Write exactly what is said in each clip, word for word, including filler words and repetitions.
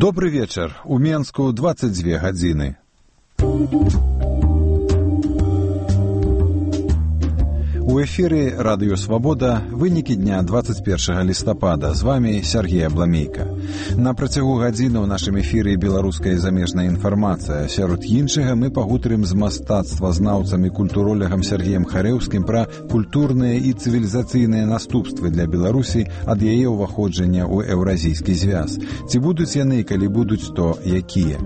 Добры вечар. У Менску дваццаць дзве гадзіны. У эфіры Радыё Свабода вынікі дня дваццаць першага лістапада. З вами Сергей Абламейка. На працягу гадзіны ў нашым эфіры беларуская і замежная інфармацыя. Сярод іншага мы пагутарым з мастацтвазнаўцам і культуролягам Сергеем Харэўскім пра культурныя і цывілізацыйныя наступствы для Беларусі ад яе ўваходжання ў еўразійскі звяз. Ці будуць яны, калі будуць, то якія?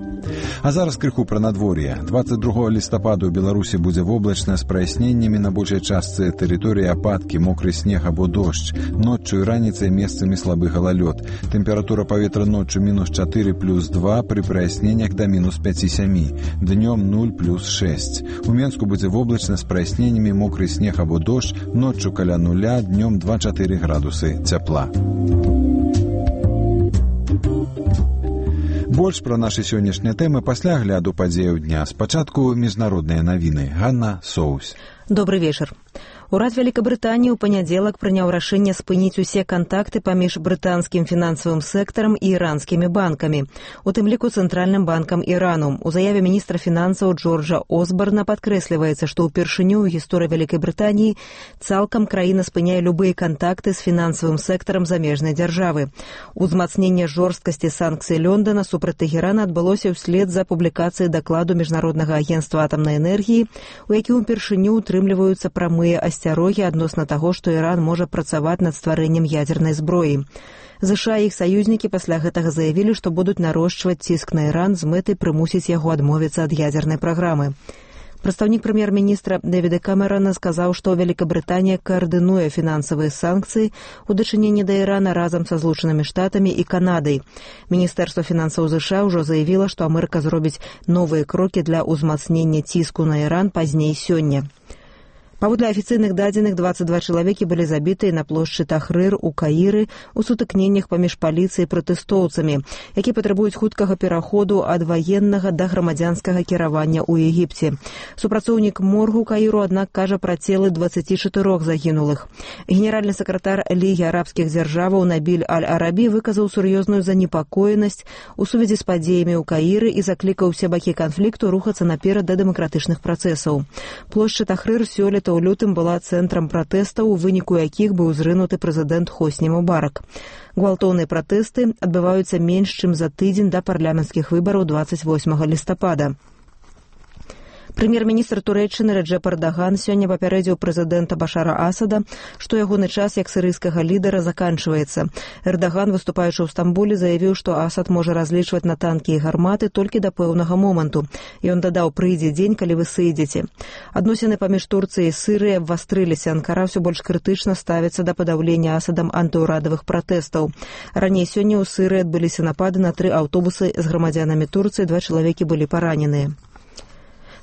А зараз крыху пра надвор'е. дваццаць другога лістапада ў Беларусі будзе воблачна з праясненнямі на большай частцы тэрыторыі ападкі, мокры снег або дождж. Ноччу і раніцай месцамі слабы галалёд. Тэмпература паветра ноччу мінус чатыры плюс два, пры праясненнях да мінус пяць-сем. Днём нуль плюс шэсць. У Менску будзе воблачна з праясненнямі, мокры снег або дождж, ноччу каля нуля, днём два-чатыры градусы цяпла. Больш пра нашы сённяшнія тэмы пасля агляду падзеяў дня. Спачатку міжнародныя навіны. Ганна Соус. Добрый вечер. Урад Великобритании ў панядзелак прыняў рашэнне спыніць усе кантакты паміж брытанскім фінансавым сектарам і іранскімі банкамі, у тым ліку цэнтральным банкам Ірану. У заяве міністра фінансаў Джорджа Осбарна падкрэсліваецца, што ўпершыню ў гісторыі Вялікай Брытаніі цалкам краіна спыняе любыя кантакты з фінансавым сектарам замежнай дзяржавы. Узмацненне жорсткасці санкцый Лондона супраць Тэхерана адбылося ўслед за публікацыяй дакладу Міжнароднага агенцтва атамнай энергіі, у якім упершыню утрымліваюцца прамыя асцярогі адносна таго, што Іран можа працаваць над стварэннем ядзернай зброі. ЗША і іх саюзнікі пасля гэтага заявілі, што будуць нарошчваць ціск на Іран з мэтай прымусіць яго адмовіцца ад ядзернай праграмы. Прадстаўнік прэм'ер-міністра Дэвіда Камерана сказаў, што Великабрытанія каардынуе фінансавыя санкцыі ў дачыненні да Ірана разам са Злучанымі Штатамі і Канадай. Міністэрства фінансаў ЗША ўжо заявіла, што Амерыка зробіць новыя крокі для ўзмацнення ціску на Іран пазней сёння. Паводле афіцыйных дадзеных, дваццаць два чалавекі былі забітыя на плошчы Тахрыр у Каіры ў сутыкненнях паміж паліцыяй і пратэстоўцамі, які патрабуюць хуткага пераходу ад ваеннага да грамадзянскага кіравання ў Егіпце. Супрацоўнік моргу Каіру, аднак, кажа пра целы дваццаці чатырох загінулых. Генеральны сакратар Лігі арабскіх дзяржаваў Набіль Аль-Арабі выказаў сур'ёзную занепакоенасць у сувязі з падзеямі ў Каіры і заклікаў усе бакі канфлікту рухацца наперад да дэмакратычных працэсаў. Плошча Тахрыр сёлета у лютым была цэнтрам пратэстаў, у выніку якіх быў зрынуты прэзідэнт Хосні Мубарак. Гвалтоўныя пратэсты адбываюцца менш чым за тыдзень да парламенцкіх выбараў дваццаць восьмага лістапада. Прэм'ер-міністр Турэччыны Рэджэп Эрдаган сёння папярэдзіў прэзідэнта Башара Асада, што ягоны час як сірыйскага лідара заканчваецца. Эрдаган, выступаючы ў Стамбуле, заявіў, што Асад можа разлічваць на танкі і гарматы толькі да пэўнага моманту. Ён дадаў: прыйдзе дзень, калі вы сыдзеце. Адносіны паміж Турцыяй і Сырыяй абвастрыліся. Анкара ўсё больш крытычна ставіцца да падаўлення Асадам антыўрадавых пратэстаў. Раней сёння ў Сырыі адбыліся напады на тры аўтобусы з грамадзянамі Турцыі, два чалавекі былі параненыя.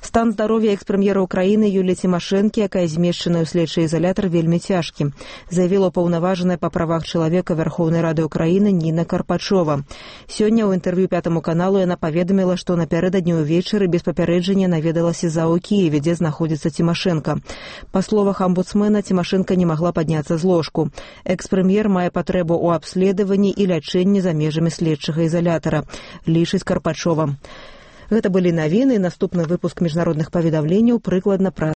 Стан здароўя экс-прэм'ера Украіны Юліі Цімашэнкі, якая змешчаная ў следчы ізалятар, вельмі цяжкі, заявіла паўнаважаная па правах чалавека Верхоўнай Рады Украіны Ніна Карпачова. Сёння ў інтэрв'ю Пятаму каналу яна паведаміла, што напярэдадні ўвечары без папярэджання наведалася за ў Кіеве, дзе знаходзіцца Цімашэнка. Па словах амбудсмена, Цімашэнка не магла падняцца з ложку. Экс-прэм'ер мае патрэбу ў абследаванні і лячэнні за межамі следчага ізалятара, лічыць Карпачова. Гэта былі навіны, наступны выпуск міжнародных паведамленняў прыкладна праз